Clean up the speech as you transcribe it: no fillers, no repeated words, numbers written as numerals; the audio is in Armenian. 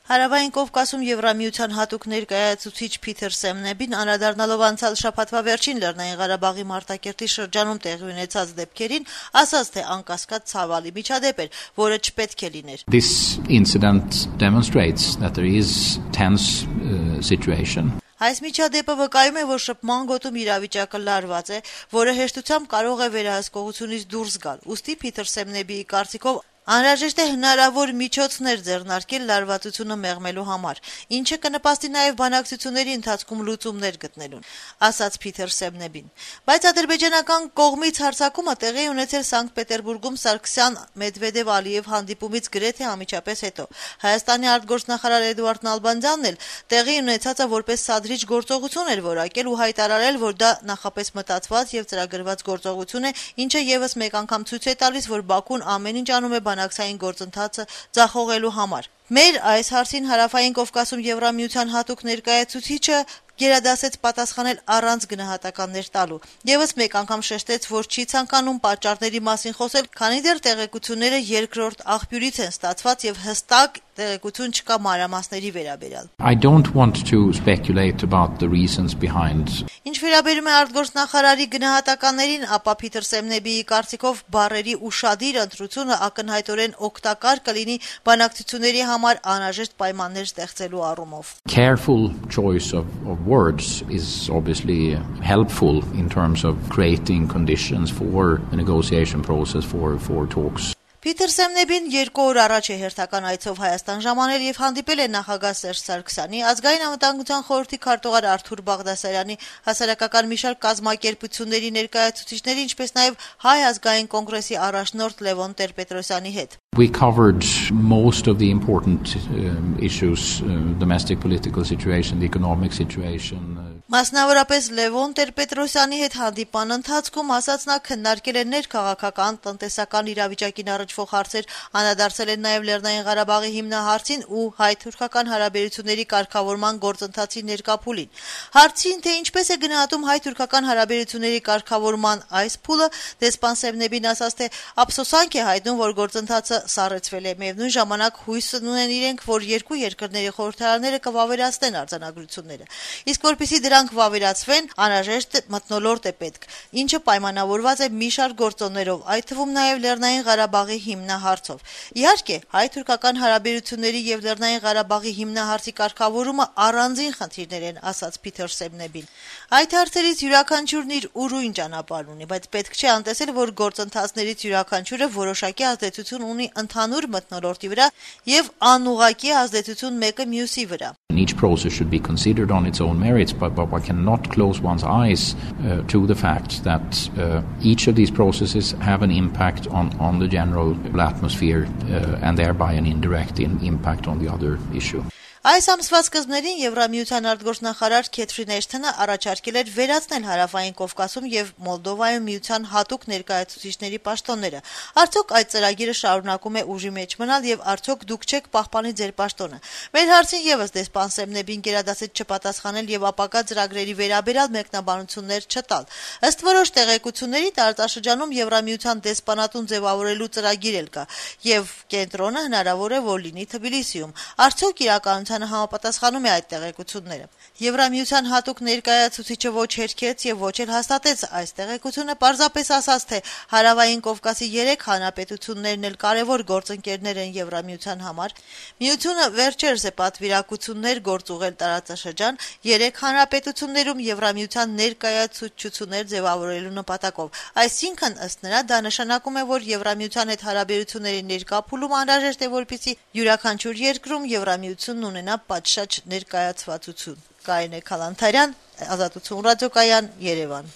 Հարավային Կովկասում Եվրամիության հատուկ ներկայացուցիչ Փիթեր Սեմնեբին անդրադառնալով անցյալ շաբաթվա վերջին Լեռնային Ղարաբաղի Մարտակերտի շրջանում տեղի ունեցած դեպքերին, ասաց, թե անկասկած ցավալի միջադեպ էր, որը չպետք է լիներ. This incident demonstrates that there is tense situation. Այս միջադեպը վկայում է, որ շփման գոտում իրավիճակը լարված է, որը հեշտությամբ կարող է վերահսկողությունից դուրս գալ։ Ուստի Փիթեր Սեմնեբիի կարծիքով անհրաժեշտ է հնարավոր միջոցներ ձեռնարկել լարվածությունը մեղմելու համար, ինչը կնպաստի նաև բանակցությունների ընթացքում լուծումներ գտնելուն, ասաց Փիթեր Սեմնեբին։ Բայց ադրբեջանական կողմից հարձակումը տեղի ունեցել Սանկտ Պետերբուրգում Սարգսյան-Մեդվեդև-Ալիև հանդիպումից գրեթե անմիջապես հետո։ Հայաստանի արտգործնախարար Էդուարդ Նալբանդյանն էլ տեղի ունեցածը որպես սադրիչ գործողություն էր որակել ու հայտարարել, որ դա նախապես մտածված եւ ծրագրված գործողություն է, ինչը եւս մեկ անգամ ցույց է տալիս, որ Բաքուն ամեն ինչ անում է բանակցային գործընթացը ձախողելու համար։ Մեր այս հարցին Հարավային Կովկասում Եվրամիության հատուկ ներկայացուցիչը գերադասեց պատասխանել առանց գնահատականներ տալու։ Եվս մեկ անգամ շեշտեց, որ չի ցանկանում պատճառների մասին խոսել, քանի դեռ տեղեկությունները երկրորդ աղբյուրից են ստացված եւ հստակ տեղեկություն չկա մանրամասների վերաբերյալ։ I don't want to speculate about the reasons behind. Ինչ վերաբերում է արտգործնախարարի գնահատականներին, ապա Փիթեր Սեմնեբիի կարծիքով բառերի ուշադիր ընտրությունը ակնհայտորեն օգտակար կլինի բանակցությունների համար անհրաժեշտ պայմաններ ստեղծելու առումով։ Careful choice of words is obviously helpful in terms of creating conditions for a negotiation process for talks. Փիթեր Սեմնեբին 2 օր առաջ է հերթական այցով Հայաստան ժամանել եւ հանդիպել է նախագահ Սերժ Սարգսյանի, ազգային անվտանգության խորհրդի քարտուղար Արթուր Բաղդասարյանի, հասարակական մի շարք կազմակերպությունների ներկայացուցիչների, ինչպես նաեւ Հայ ազգային կոնգրեսի առաջնորդ Լևոն Տեր-Պետրոսյանի հետ։ We covered most of the important issues, domestic political situation, the economic situation. Մասնավորապես Լևոն Տեր-Պետրոսյանի հետ հանդիպան ընթացքում ասաց նա քննարկել է ներքաղաքական, տնտեսական իրավիճակին առնչվող հարցեր, անդրադարձել են նաև Լեռնային Ղարաբաղի հիմնահարցին ու հայ-թուրքական հարաբերությունների կարգավորման գործընթացի ներկա փուլին։ Հարցին, թե ինչպես է գնահատում հայ-թուրքական հարաբերությունների կարգավորման այս փուլը, դեսպան Սեմնեբին ասաց, թե ափսոսանք է հայտնում, որ գործընթացը սառեցվել է, միևնույն ժամանակ հույս ունեն իրենք, որ երկու երկրների խորհրդարանները կվավերացնեն արձանագրությունները։ Իսկ որպեսզի դրանք վավերացվեն, անհրաժեշտ մթնոլորտ է պետք, ինչը պայմանավորված է մի շարք գործոններով, այդ թվում նաև Լեռնային Ղարաբաղի հիմնահարցով։ Իհարկե, հայ-թուրքական հարաբերությունների եւ Լեռնային Ղարաբաղի հիմնահարցի կարգավորումը առանձին խնդիրներ են, ասաց Փիթեր Սեմնեբին։ Այդ հարցերից յուրաքանչյուրն իր ուրույն ճանապարհն ունի, բայց պետք չէ անտեսել, որ գործընթացներից յուրաքանչյուրը որոշակի ազդեցություն ունի ընդհանուր մթնոլորտի վրա եւ անուղղակի ազդեցություն մեկը մյուսի վրա։ Each process should be considered on its own merits, but one cannot close one's eyes to the fact that each of these processes have an impact on the general atmosphere and thereby an indirect impact on the other issue. Այս ամսվա սկզբներին Եվրամիության արտգործնախարար Քեթրին Էշթոնը առաջարկել էր վերացնել Հարավային Կովկասում եւ Մոլդովայում միության հատուկ ներկայացուցիչների պաշտոնները։ Արդյոք այդ ծրագիրը շարունակում է ուժի մեջ մնալ եւ արդյոք դուք չեք պահպանի ձեր պաշտոնը։ Մեր հարցին եւս դեսպան Սեմնեբին գերադասեց չպատասխանել եւ ապակա ծրագրերի վերաբերյալ մեկնաբանություններ չտալ։ Ըստ որոշ տեղեկությունների տարածաշրջանում Եվրամիության դեսպանատուն ձևավորելու ծրագիր էլ կա եւ կենտրոնը հնարավոր է որ լինի Թբիլիսիում։ Արդյոք իրականության համապատասխանում է այդ տեղեկությունները։ Եվրամիության հատուկ ներկայացուցիչը ոչ հերքեց եւ ոչ էլ հաստատեց այս տեղեկությունը, պարզապես ասաց, թե Հարավային Կովկասի 3 հանրապետություններն էլ կարևոր գործընկերներ են Եվրամիության համար։ Միությունը վերջերս է պատվիրակություններ գործուղել տարածաշրջան 3 հանրապետություններում Եվրամիության ներկայացուցչություններ ձևավորելու նպատակով։ Այսինքն, ըստ նրա, դա նշանակում է, որ Եվրամիության հետ հարաբերությունների ներկա փուլում անհրաժեշտ է, որպեսզի յուրաքանչյուր երկրում Եվրամիությունն ունենա պատշաճ ներկայացվածություն։ Կարինե Քալանթարյան, Ազատություն ռադիոկայան, Երևան։